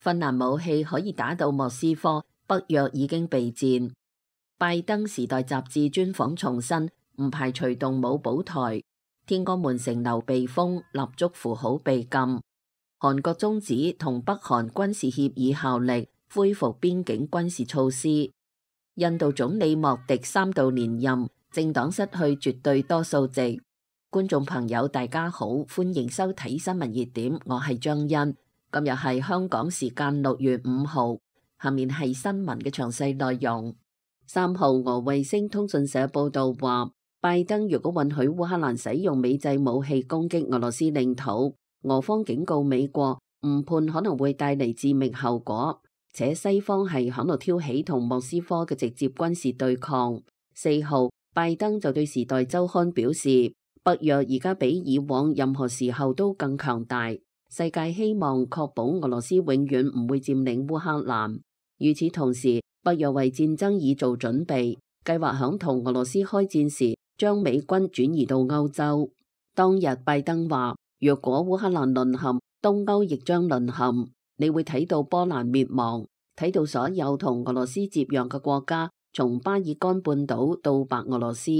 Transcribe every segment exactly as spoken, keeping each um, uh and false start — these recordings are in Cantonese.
芬蘭武器可以打到莫斯科，北約已經備戰。拜登時代雜誌專訪重申，唔排除動武保台。天安門城樓被封，蠟燭符號被禁。韓國終止同北韓軍事協議效力，恢復邊境軍事措施。印度總理莫迪三度連任，政黨失去絕對多數席。觀眾朋友大家好，歡迎收睇新聞熱點，我係張欣。今日係香港時間六月五號，下面係新聞嘅詳細內容。三號俄衛星通訊社報道話，拜登如果允許烏克蘭使用美製武器攻擊俄羅斯領土，俄方警告美國誤判可能會帶嚟致命後果，且西方係響度挑起同莫斯科嘅直接軍事對抗。四號，拜登就對時代週刊表示，北約而家比以往任何時候都更強大。世界希望確保俄羅斯永遠唔會佔領烏克蘭。與此同時，北約為戰爭已做準備，計劃響同俄羅斯開戰時將美軍轉移到歐洲。當日拜登話，若果烏克蘭淪陷，東歐亦將淪陷。你會睇到波蘭滅亡，睇到所有同俄羅斯接壤嘅國家，從巴爾幹半島到白俄羅斯，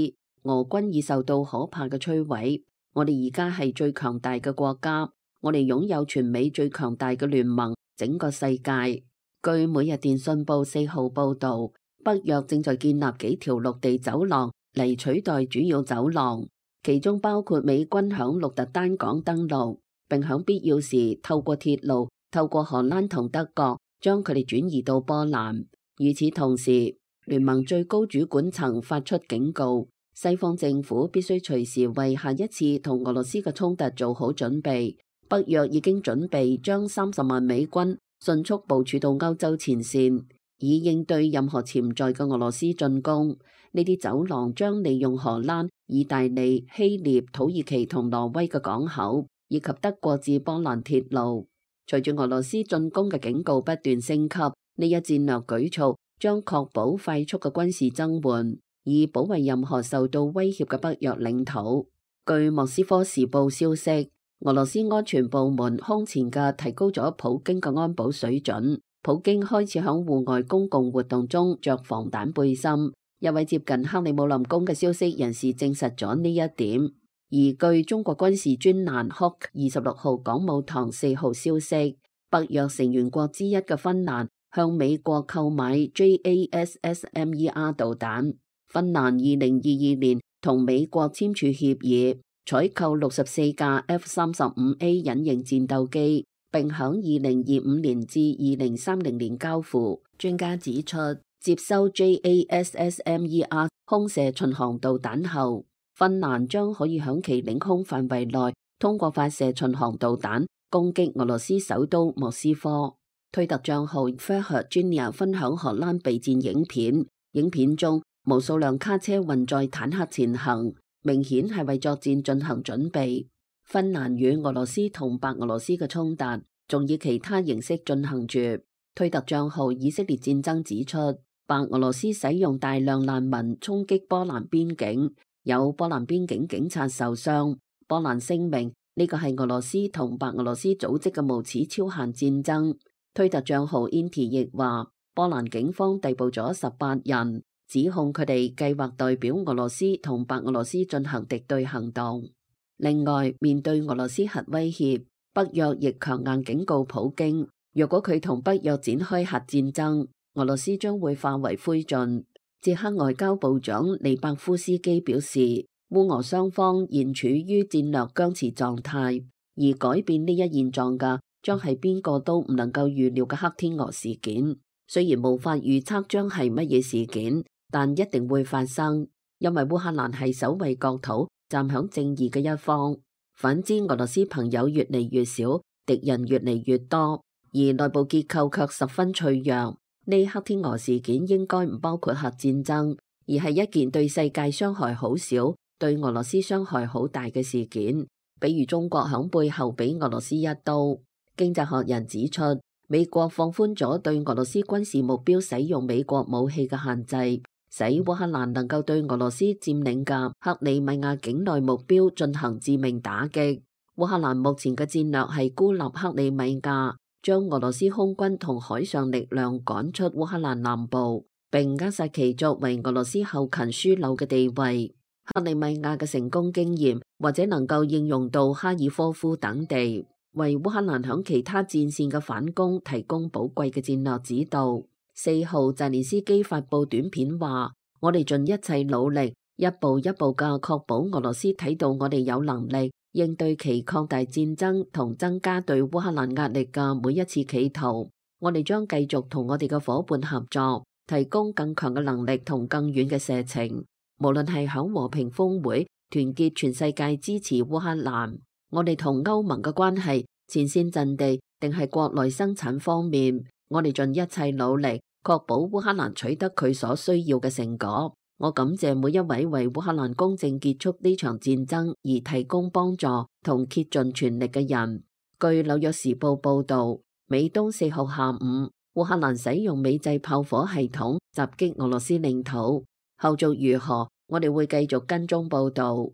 俄軍已受到可怕嘅摧毀。我哋而家係最強大嘅國家。我哋擁有全美最強大嘅聯盟，整個世界。據每日電訊報四號報道，北約正在建立幾條陸地走廊嚟取代主要走廊，其中包括美軍響鹿特丹港登陸，並響必要時透過鐵路、透過荷蘭同德國將佢哋轉移到波蘭。與此同時，聯盟最高主管層發出警告，西方政府必須隨時為下一次同俄羅斯嘅衝突做好準備。北約已經準備將三十萬美軍迅速部署到歐洲前線，以應對任何潛在嘅俄羅斯進攻。呢啲走廊將利用荷蘭、意大利、希臘、土耳其同挪威嘅港口，以及德國至波蘭鐵路。隨住俄羅斯進攻嘅警告不斷升級，呢一戰略舉措將確保快速嘅軍事增援，以保衛任何受到威脅嘅北約領土。據莫斯科時報消息，俄羅斯安全部門空前嘅提高咗普京嘅安保水準，普京開始響戶外公共活動中着防彈背心。一位接近克里姆林宮嘅消息人士證實咗呢一點。而據中國軍事專欄 Hawk 二十六號港務堂四號消息，北約成員國之一嘅芬蘭向美國購買 J A S S M E R 導彈。芬蘭二零二二年同美國簽署協議，採購六十四架 F 三十五 A 隱形戰鬥機，並響二零二五年至二零三零年交付。專家指出，接收 J A S S M E R 空射巡航導彈後，芬蘭將可以響其領空範圍內通過發射巡航導彈攻擊俄羅斯首都莫斯科。推特賬號 Fair Junior 分享荷蘭備戰影片，影片中無數輛卡車運載坦克前行，明顯係為作戰進行準備。芬蘭與俄羅斯同白俄羅斯嘅衝突仲以其他形式進行住。推特賬號以色列戰爭指出，白俄羅斯使用大量難民衝擊波蘭邊境，有波蘭邊境警察受傷。波蘭聲明呢個係俄羅斯同白俄羅斯組織嘅無恥超限戰爭。推特賬號 Inti 亦話，波蘭警方逮捕咗十八人，指控佢哋計劃代表俄羅斯同白俄羅斯進行敵對行動。另外，面對俄羅斯核威脅，北約亦強硬警告普京，若果佢同北約展開核戰爭，俄羅斯將會化為灰燼。捷克外交部長利伯夫斯基表示，烏俄雙方現處於戰略僵持狀態，而改變呢一現狀嘅將係邊個都唔能夠預料嘅黑天鵝事件。雖然無法預測將係乜嘢事件，但一定會發生，因為烏克蘭係守衛國土、站響正義嘅一方。反之，俄羅斯朋友越嚟越少，敵人越嚟越多，而內部結構卻十分脆弱。呢黑天鵝事件應該唔包括核戰爭，而係一件對世界傷害好少、對俄羅斯傷害好大嘅事件。比如中國響背後俾俄羅斯一刀。經濟學人指出，美國放寬咗對俄羅斯軍事目標使用美國武器嘅限制，使烏克蘭能夠對俄羅斯佔領嘅克里米亞境內目標進行致命打擊。烏克蘭目前嘅戰略係孤立克里米亞，將俄羅斯空軍同海上力量趕出烏克蘭南部，並扼殺其作為俄羅斯後勤樞紐嘅地位。克里米亞嘅成功經驗或者能夠應用到哈爾科夫等地，為烏克蘭響其他戰線嘅反攻提供寶貴嘅戰略指導。四號，澤連斯基發佈短片話：我哋盡一切努力，一步一步嘅確保俄羅斯睇到我哋有能力應對其擴大戰爭同增加對烏克蘭壓力嘅每一次企圖。我哋將繼續同我哋嘅夥伴合作，提供更強嘅能力同更遠嘅射程。無論係響和平峰會團結全世界支持烏克蘭，我哋同歐盟嘅關係、前線陣地定係國內生產方面，我哋盡一切努力確保烏克蘭取得佢所需要嘅成果。我感謝每一位為烏克蘭公正結束呢場戰爭而提供幫助同竭盡全力嘅人。據紐約時報報道，美東四號下午，烏克蘭使用美製炮火系統襲擊俄羅斯領土。後續如何，我哋會繼續跟蹤報道。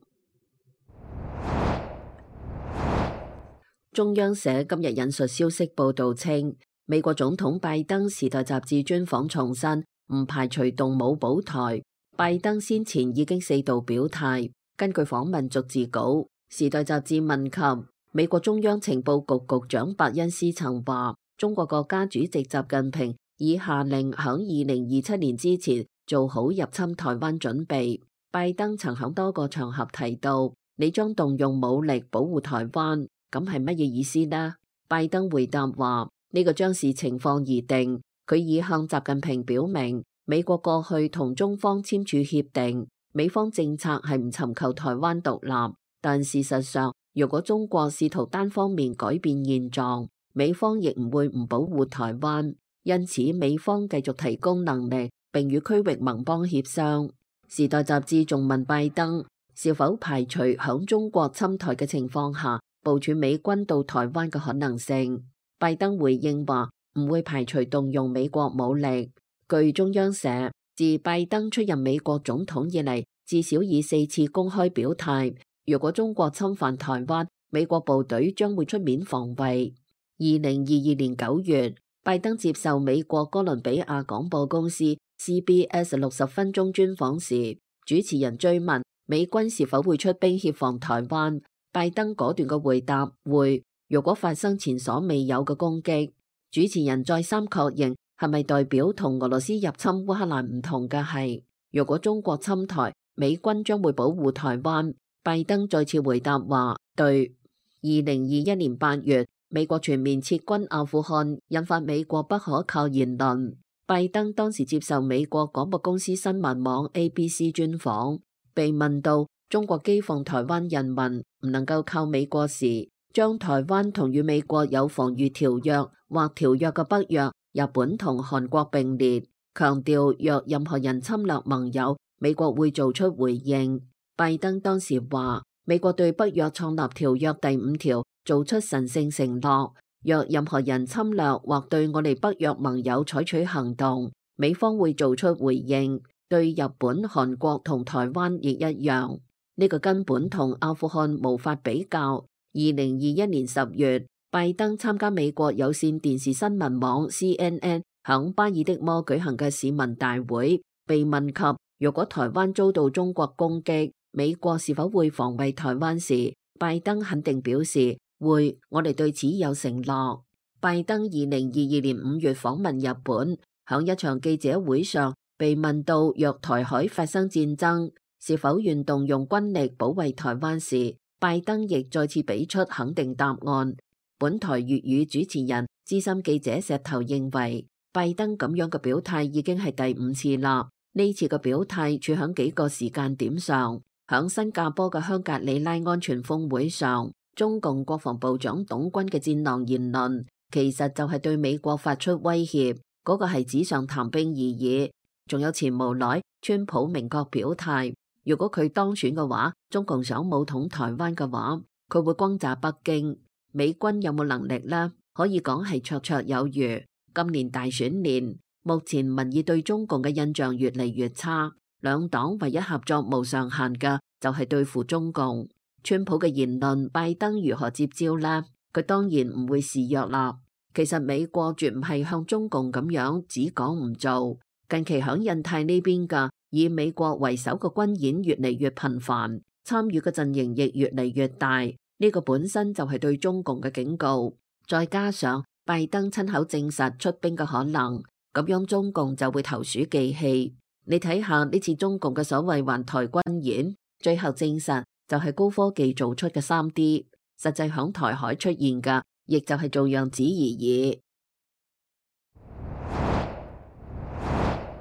中央社今日引述消息報道稱，美國總統拜登時代雜誌專訪重申，唔排除動武保台。拜登先前已經四度表態。根據訪問逐字稿，時代雜誌問及美國中央情報局局長伯恩斯曾話，中國國家主席習近平已下令響二零二七年之前做好入侵台灣準備。拜登曾響多個場合提到，你將動用武力保護台灣，咁係乜嘢意思呢？拜登回答話，呢個將視情況而定。佢已向習近平表明，美國過去同中方簽署協定，美方政策係唔尋求台灣獨立，但事實上，如果中國試圖單方面改變現狀，美方亦唔會唔保護台灣。因此，美方繼續提供能力，並與區域盟邦協商。時代雜誌仲問拜登是否排除響中國侵台嘅情況下部署美軍到台灣嘅可能性。拜登回應話唔會排除動用美國武力。據中央社，自拜登出任美國總統以嚟，至少以四次公開表態，如果中國侵犯台灣，美國部隊將會出面防衛。二零二二年九月，拜登接受美國哥倫比亞廣播公司 C B S 六十分鐘專訪時，主持人追問美軍是否會出兵協防台灣，拜登果斷嘅回答會，如果發生前所未有嘅攻擊。主持人再三確認，係咪代表同俄羅斯入侵烏克蘭唔同嘅係，如果中國侵台，美軍將會保護台灣。拜登再次回答話對。二零二一年八月，美國全面撤軍阿富汗，引發美國不可靠言論。拜登當時接受美國廣播公司新聞網 A B C 專訪，被問到中國譏諷台灣人民唔能夠靠美國時，將台灣同與美國有防禦條約或條約嘅北約、日本同韓國並列，強調若任何人侵略盟友，美國會做出回應。拜登當時話，美國對北約創立條約第五條做出神聖承諾，若任何人侵略或對我哋北約盟友採取行動，美方會做出回應。對日本、韓國同台灣亦一樣，呢個根本同阿富汗無法比較。二零二一年十月，拜登參加美國有線電視新聞網 C N N 響巴爾的摩舉行嘅市民大會，被問及如果台灣遭到中國攻擊，美國是否會防衛台灣時，拜登肯定表示會，我哋對此有承諾。拜登二零二二年五月訪問日本，響一場記者會上被問到若台海發生戰爭，是否願動用軍力保衛台灣時，拜登亦再次俾出肯定答案。本台粵語主持人資深記者石頭認為，拜登咁樣嘅表態已經係第五次啦。呢次嘅表態處響幾個時間點上，響新加坡嘅香格里拉安全峰會上，中共國防部長董軍嘅戰狼言論，其實就係對美國發出威脅，嗰、那個係紙上談兵而已。仲有前無奈川普明確表態，如果佢當選嘅話，中共想武統台灣嘅話，佢會轟炸北京。美軍有冇能力呢？可以講係綽綽有餘。今年大選年，目前民意對中共嘅印象越嚟越差，兩黨唯一合作無上限嘅就係對付中共。川普嘅言論，拜登如何接招呢？佢當然唔會示弱啦。其實美國絕唔係向中共咁樣只講唔做。近期響印太呢邊嘅以美國為首嘅軍演越嚟越頻繁，參與嘅陣營亦越嚟越大，呢個本身就係對中共嘅警告。再加上拜登親口證實出兵嘅可能，咁樣中共就會投鼠忌器。你睇下呢次中共嘅所謂環台軍演，最後證實就係高科技做出嘅 三 D， 實際響台海出現嘅，亦就係做樣子而已。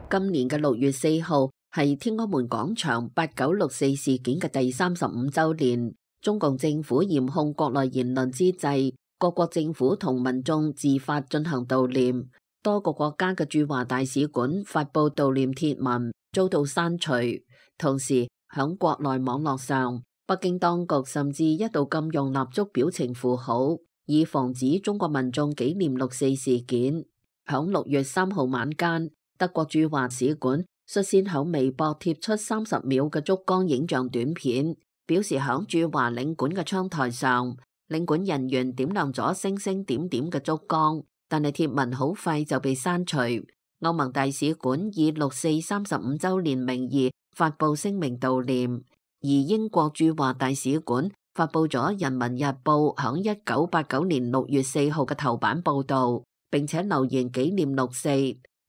今年嘅六月四號係天安門廣場八九六四事件嘅第三十五週年。中共政府嚴控國內言論之際，各國政府同民眾自發進行悼念。多個國家嘅駐華大使館發布悼念貼文，遭到刪除。同時響國內網絡上，北京當局甚至一度禁用蠟燭表情符號，以防止中國民眾紀念六四事件。響六月三號晚間，德國駐華使館率先響微博貼出三十秒嘅燭光影像短片，表示響駐華領館嘅窗台上，領館人員點亮咗星星點點嘅燭光，但係貼文好快就被刪除。歐盟大使館以六四三十五週年名義發布聲明悼念，而英國駐華大使館發布咗《人民日報》響一九八九年六月四號嘅頭版報導，並且留言紀念六四。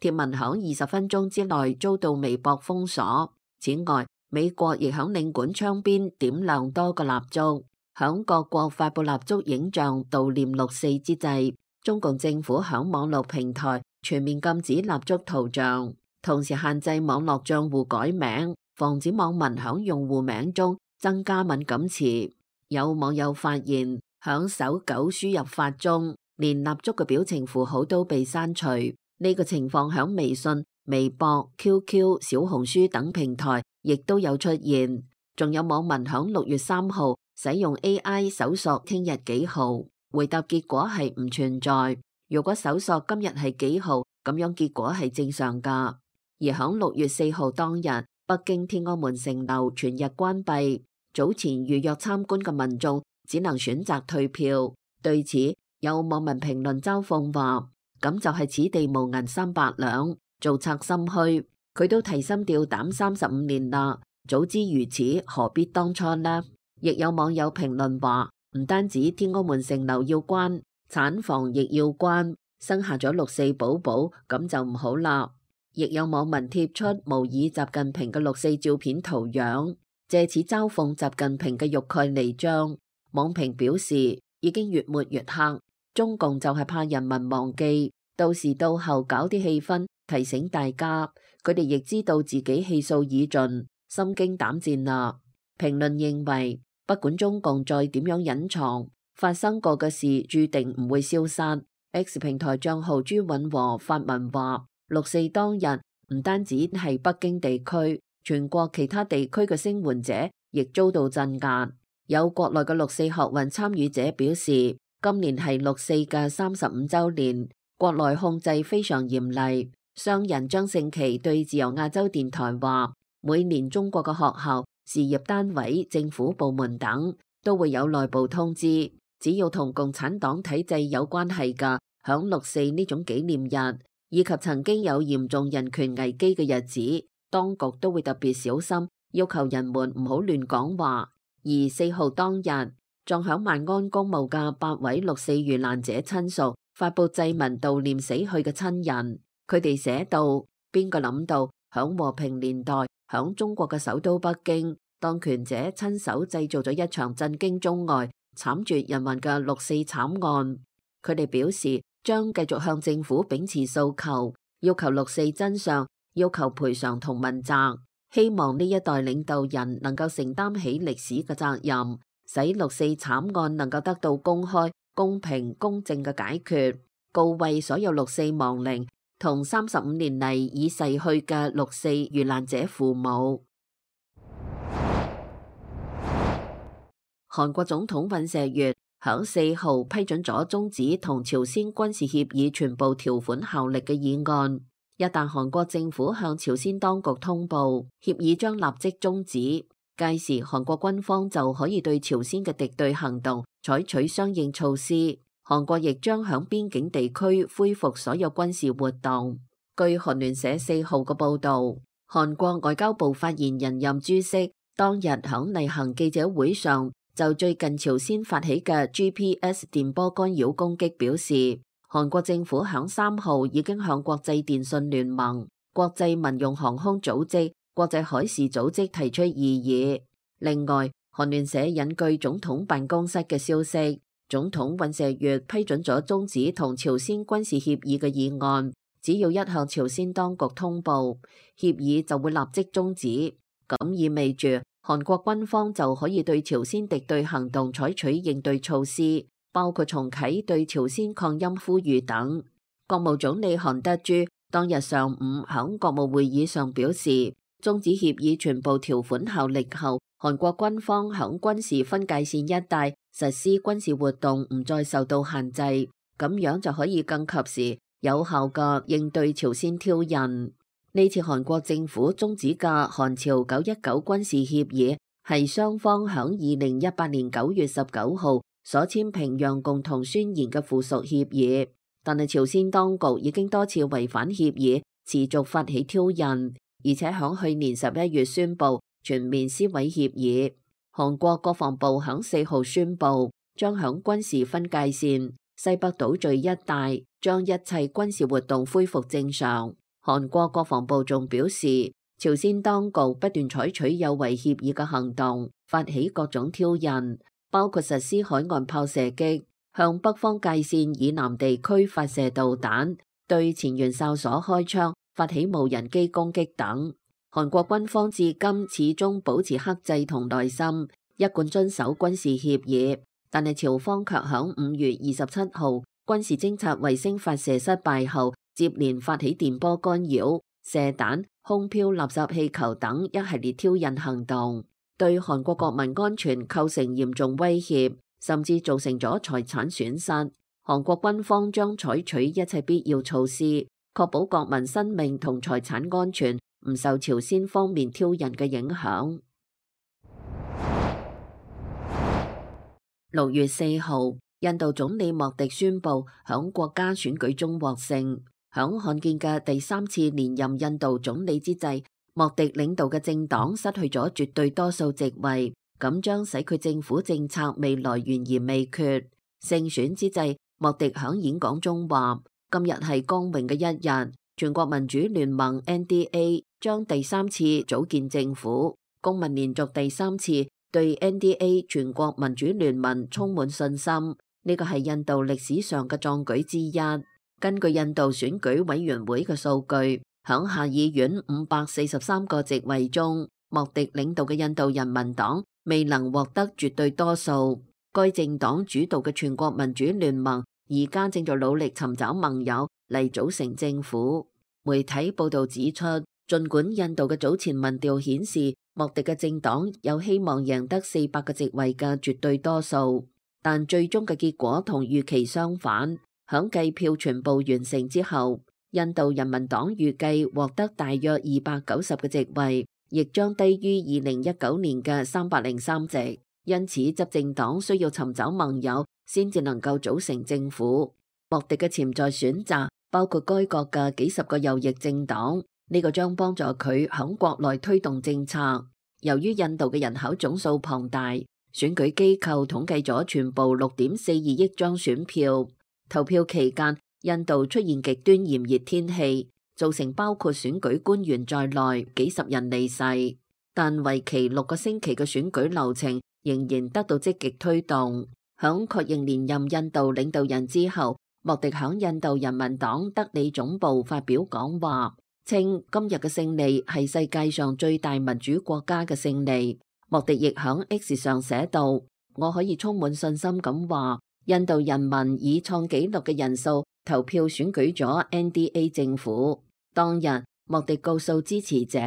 貼文響二十分鐘之內遭到微博封鎖。此外，美國亦響領館窗邊點亮多個蠟燭。響各國發布蠟燭影像悼念六四之際，中共政府響網絡平台全面禁止蠟燭圖像，同時限制網絡賬戶改名，防止網民響用戶名中增加敏感詞。有網友發現，響搜狗輸入法中，連蠟燭嘅表情符號都被刪除。呢個情況響微信、微博、Q Q、小紅書等平台亦都有出現。仲有網民響六月三號使用 A I 搜索聽日幾號，回答結果係唔存在。如果搜索今日係幾號，咁樣結果係正常噶。而響六月四號當日，北京天安門城樓全日關閉，早前預約參觀嘅民眾只能選擇退票。對此，有網民評論嘲諷話：咁就係此地無銀三百兩，做賊心虛。佢都提心吊膽三十五年啦，早知如此，何必當初呢？亦有網友評論話：唔單止天安門城樓要關，產房亦要關，生下咗六四寶寶，咁就唔好啦。亦有網民貼出模擬習近平嘅六四照片圖樣，借此嘲諷習近平嘅欲蓋彌彰。網評表示已經越抹越黑。中共就係怕人民忘記，到時到後搞啲氣氛，提醒大家。佢哋亦知道自己氣數已盡，心驚膽戰啦。評論認為，不管中共再點樣隱藏，發生過嘅事注定唔會消失。X 平台賬號朱允和發文話：六四當日唔單止係北京地區，全國其他地區嘅聲援者亦遭到鎮壓。有國內嘅六四學運參與者表示，今年係六四嘅三十五週年，國內控制非常嚴厲。商人張勝琪對自由亞洲電台話：每年中國嘅學校、事業單位、政府部門等都會有內部通知，只要同共產黨體制有關係嘅，響六四呢種紀念日以及曾經有嚴重人權危機嘅日子，當局都會特別小心，要求人們唔好亂講話。而四號當日，撞響萬安公墓嘅八位六四遇難者親屬發佈祭文悼念死去嘅親人，佢哋寫道：邊個諗到響和平年代，響中國嘅首都北京，當權者親手製造咗一場震驚中外、慘絕人寰嘅六四慘案。佢哋表示將繼續向政府秉持訴求，要求六四真相，要求賠償同問責，希望呢一代領導人能夠承擔起歷史嘅責任，使六四慘案能夠得到公開、公平、公正嘅解決，告慰所有六四亡靈同三十五年嚟已逝去嘅六四遇難者父母。韓國總統尹錫悅響四號批准咗終止同朝鮮軍事協議全部條款效力嘅議案。一旦韓國政府向朝鮮當局通報，協議將立即終止。屆時韓國軍方就可以對朝鮮嘅敵對行動採取相應措施。韓國亦將響邊境地區恢復所有軍事活動。據韓聯社四號嘅報導，韓國外交部發言人任珠色當日響例行記者會上就最近朝鮮發起嘅 G P S 電波干擾攻擊表示，韓國政府響三號已經向國際電信聯盟、國際民用航空組織、國際海事組織提出異議。另外，韓聯社引據總統辦公室嘅消息，總統尹錫悅批准咗終止同朝鮮軍事協議嘅議案，只要一向朝鮮當局通報，協議就會立即終止。咁意味住韓國軍方就可以對朝鮮敵對行動採取應對措施，包括重啟對朝鮮抗音呼籲等。國務總理韓德洙當日上午響國務會議上表示，終止協議全部條款效力後，韓國軍方響軍事分界線一帶實施軍事活動唔再受到限制，咁樣就可以更及時有效嘅應對朝鮮挑釁。呢次韓國政府終止嘅韓朝九一九軍事協議係雙方響二零一八年九月十九號所簽平壤共同宣言嘅附屬協議，但係朝鮮當局已經多次違反協議，持續發起挑釁，而且響去年十一月宣布全面撕毀協議。韓國國防部響四號宣布，將響軍事分界線、西北島嶼一帶將一切軍事活動恢復正常。韓國國防部仲表示，朝鮮當局不斷採取有違協議嘅行動，發起各種挑釁，包括實施海岸炮射擊、向北方界線以南地區發射導彈、對前元哨所開槍、發起無人機攻擊等。韓國軍方至今始終保持克制同耐心，一貫遵守軍事協議，但係朝方卻響五月二十七號軍事偵察衛星發射失敗後，接連發起電波干擾、射彈、空飄垃圾氣球等一系列挑釁行動，對韓國國民安全構成嚴重威脅，甚至造成咗財產損失。韓國軍方將採取一切必要措施，確保國民生命同財產安全唔受朝鮮方面挑釁嘅影響。六月四號，印度總理莫迪宣布響國家選舉中獲勝。響罕見嘅第三次連任印度總理之際，莫迪領導嘅政黨失去咗絕對多數席位，咁將使佢政府政策未來懸而未決。勝選之際，莫迪響演講中話：今日係光榮嘅一日，全國民主聯盟 N D A 將第三次組建政府，公民連續第三次對 N D A 全國民主聯盟充滿信心。呢個係印度歷史上嘅壯舉之一。根據印度選舉委員會嘅數據，響下議院五百四十三個席位中，莫迪領導嘅印度人民黨未能獲得絕對多數。該政黨主導嘅全國民主聯盟而家正在努力尋找盟友嚟組成政府。媒體報道指出，儘管印度嘅早前民調顯示莫迪嘅政黨有希望贏得四百個席位嘅絕對多數，但最終嘅結果同預期相反。響計票全部完成之後，印度人民黨預計獲得大約二百九十個席位，亦將低於二零一九年嘅三百零三席。因此，執政黨需要尋找盟友先至能夠組成政府。莫迪嘅潛在選擇包括該國嘅幾十個右翼政黨，呢個將幫助佢響國內推動政策。由於印度嘅人口總數龐大，選舉機構統計咗全部六點四二億張選票。投票期間，印度出現極端炎熱天氣，造成包括選舉官員在內幾十人離世。但為期六個星期嘅選舉流程仍然得到積極推動。響確認連任印度領導人之後，莫迪響印度人民黨德里總部發表講話，稱今日嘅勝利係世界上最大民主國家嘅勝利。莫迪亦響 X 上寫道：我可以充滿信心咁話，印度人民以創紀錄嘅人數投票選舉咗 N D A 政府。當日，莫迪告訴支持者，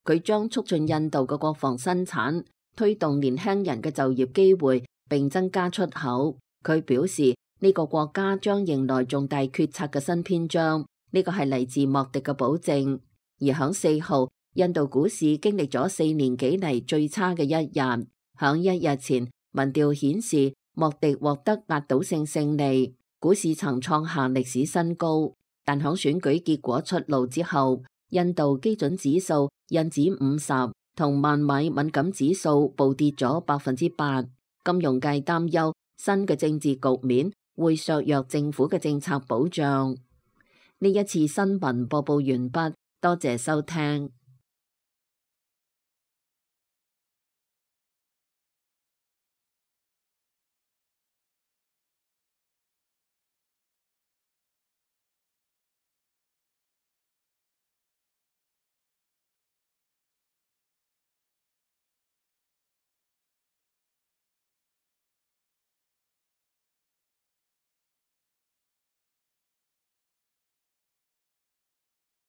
佢將促進印度嘅國防生產，推動年輕人嘅就業機會，並增加出口。佢表示呢個國家將迎來重大決策嘅新篇章，呢個係嚟自莫迪嘅保證。而響四號，印度股市經歷咗四年幾嚟最差嘅一日。響一日前，民調顯示莫迪獲得壓倒性勝利，股市曾創下歷史新高，但響選舉結果出爐之後，印度基準指數、印指五十同萬米敏感指數暴跌咗百分之八。金融界擔憂新嘅政治局面會削弱政府嘅政策保障。呢一次新聞播報完畢，多謝收聽。